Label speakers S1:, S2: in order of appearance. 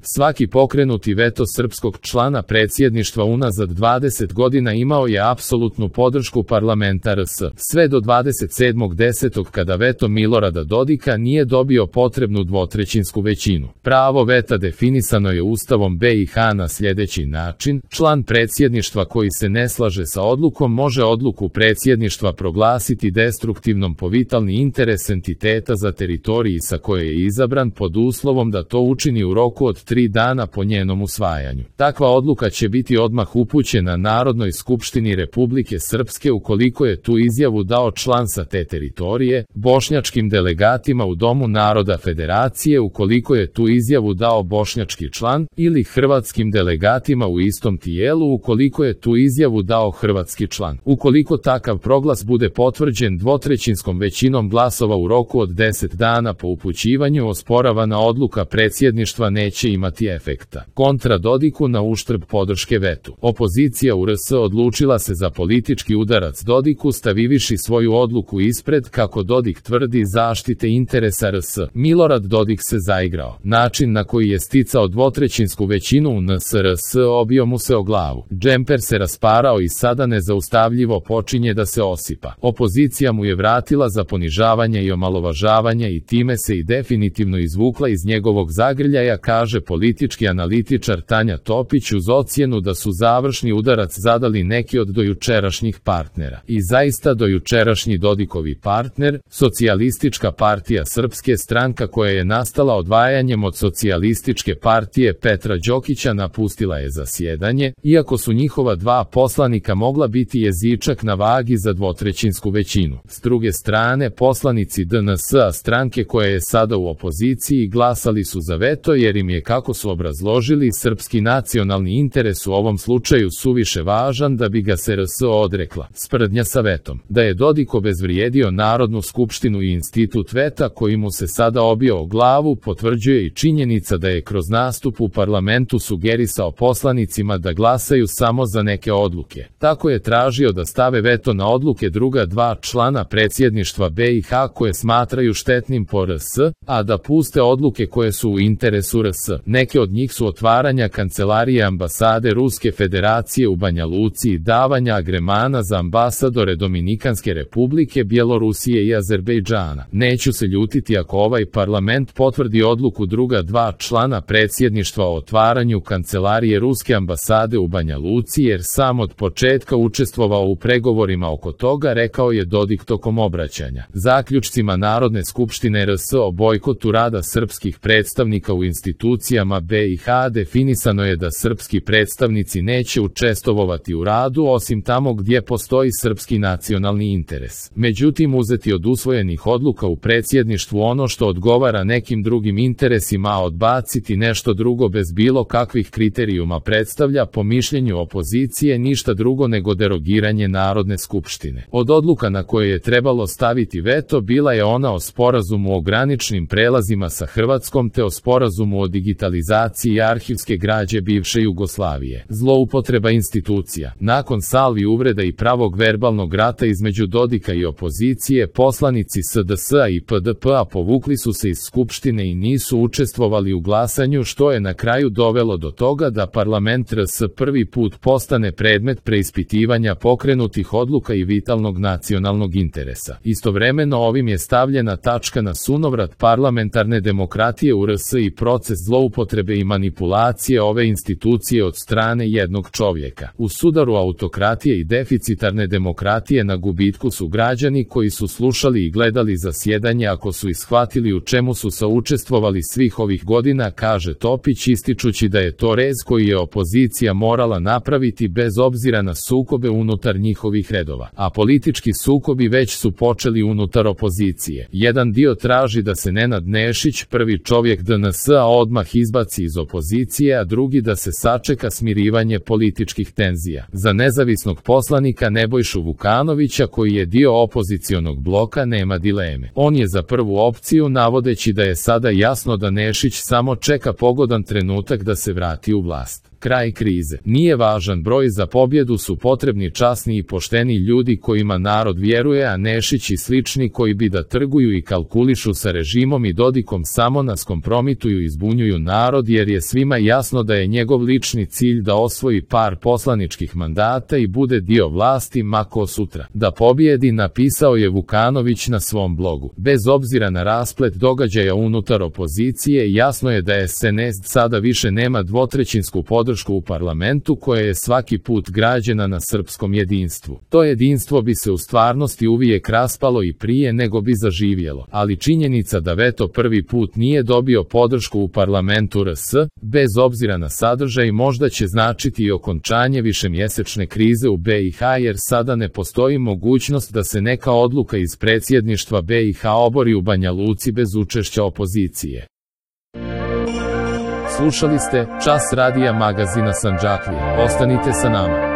S1: Svaki pokrenuti veto srpskog člana predsjedništva unazad 20 godina imao je apsolutnu podršku parlamenta RS, sve do 27.10. kada veto Milorada Dodika nije dobio potrebnu dvotrećinsku većinu. Pravo veta definisano je Ustavom BiH na sljedeći način: član predsjedništva koji se ne slaže sa odlukom može odluku predsjedništva proglasiti destruktivnom po vitalni interes entiteta za teritoriji sa koje je izabran, pod uslovom da to učini u roku od 3 dana po njenom usvajanju. Takva odluka će biti odmah upućena Narodnoj skupštini Republike Srpske ukoliko je tu izjavu dao član sa te teritorije, bošnjačkim delegatima u Domu naroda Federacije ukoliko je tu izjavu dao bošnjački član, ili hrvatskim delegatima u istom tijelu ukoliko je tu izjavu dao hrvatski član. Ukoliko takav proglas bude potvrđen dvotrećinskom većinom glasova u roku od 10 dana po upućivanju, osporavana odluka predsjedništva neće imati efekta. Kontra Dodiku na uštrb podrške vetu. Opozicija u RS odlučila se za politički udarac Dodiku stavivši svoju odluku ispred, kako Dodik tvrdi, zaštite interesa RS. Milorad Dodik se zaigrao. Način na koji je sticao dvotrećinsku većinu u NSRS obio mu se o glavu. Džemper se rasparao i sada nezaustavljivo počinje da se osipa. Opozicija mu je vratila za ponižavanje i omalovažavanje i time se i definitivno izvukla iz njegovog zagrljaja, kaže politički analitičar Tanja Topić uz ocjenu da su završni udarac zadali neki od dojučerašnjih partnera. I zaista dojučerašnji Dodikovi partner, Socijalistička partija Srpske, stranka koja je nastala odvajanjem od Socijalističke partije Petra Đokića, napustila je zasjedanje, iako su njihova dva poslanika mogla biti jezičak na vagi za dvotrećinsku većinu. S druge strane, poslanici DNS-a, stranke koja je sada u opoziciji, glasali su za veto jer im je, kako su obrazložili, srpski nacionalni interes u ovom slučaju suviše važan da bi ga se RS odrekla. Sprdnja sa vetom. Da je Dodik obezvrijedio Narodnu skupštinu i institut veta koji mu se sada obio o glavu potvrđuje i činjenica da je kroz nastup u parlamentu sugerisao poslanicima da glasaju samo za neke odluke. Tako je tražio da stave veto na odluke druga dva člana predsjedništva BiH koje smatraju štetnim po RS, a da puste odluke koje su u interesu RS. Neke od njih su otvaranja kancelarije ambasade Ruske federacije u Banja Luci i davanja agremana za ambasadore Dominikanske republike, Bjelorusije i Azerbejdžana. Neću se ljutiti ako ovaj parlament potvrdi odluku druga dva člana predsjedništva o otvaranju kancelarije Ruske ambasade u Banja Luci, jer sam od početka učestvovao u pregovorima oko toga, rekao je Dodik tokom obraćanja. Zaključcima Narodne skupštine RS o bojkotu rada srpskih predstavnika u institucijama BiH definisano je da srpski predstavnici neće učestvovati u radu osim tamo gdje postoji srpski nacionalni interes. Međutim, uzeti od usvojenih odluka u predsjedništvu ono što odgovara nekim drugim interesima, a odbaciti nešto drugo bez bilo kakvih kriterijuma predstavlja, po mišljenju opozicije, ništa drugo nego derogiranje Narodne skupštine. Od odluka na koje je trebalo staviti veto bila je ona o sporazumu o graničnim prelazima sa Hrvatskom te o sporazumu o digitalizaciji arhivske građe bivše Jugoslavije. Zloupotreba institucija. Nakon salvi uvreda i pravog verbalnog rata između Dodika i opozicije, poslanici SDS-a i PDP-a povukli su se iz Skupštine i nisu učestvovali u glasanju, što je na kraju dovelo do toga da parlament RS prvi put postane predmet preispitivanja pokrenutih odluka i vitalnog nacionalnog interesa. Istovremeno ovim je stavljena tačka na sunovrat parlamentarne demokratije u RS i proces zloupotrebe i manipulacije ove institucije od strane jednog čovjeka. U sudaru autokratije i deficitarne demokratije na gubitku su građani koji su slušali i gledali zasjedanje ako su ishvatili u čemu su saučestvovali svih ovih godina, kaže Topić, ističući da je to rez koji je opozicija morala napraviti bez obzira na sukobe unutar njihovih redova. A politički sukobi već su počeli unutar opozicije. Jedan dio traži da se Nenad Nešić, prvi čovjek DNS-a, odmah izbaci iz opozicije, a drugi da se sačeka smirivanje političkih tenzija. Za nezavisnog poslanika Nebojšu Vukanovića, koji je dio opozicionog bloka, nema dileme. On je za prvu opciju, navodeći da je sada jasno da Nešić samo čeka pogodan trenutak da se vrati u vlast. Kraj krize. Nije važan broj, za pobjedu su potrebni časni i pošteni ljudi kojima narod vjeruje, a Nešić i slični koji bi da trguju i kalkulišu sa režimom i Dodikom samo nas kompromituju i zbunjuju narod, jer je svima jasno da je njegov lični cilj da osvoji par poslaničkih mandata i bude dio vlasti mako sutra. Da pobjedi, napisao je Vukanović na svom blogu. Bez obzira na rasplet događaja unutar opozicije, jasno je da SNS sada više nema dvotrećinsku podršku u parlamentu koja je svaki put građena na srpskom jedinstvu. To jedinstvo bi se u stvarnosti uvijek raspalo i prije nego bi zaživjelo, ali činjenica da veto prvi put nije dobio podršku u parlamentu RS, bez obzira na sadržaj, možda će značiti i okončanje višemjesečne krize u BiH, jer sada ne postoji mogućnost da se neka odluka iz predsjedništva BiH obori u Banja Luci bez učešća opozicije. Slušali ste Čas radija magazina Sandžaklije. Ostanite sa nama.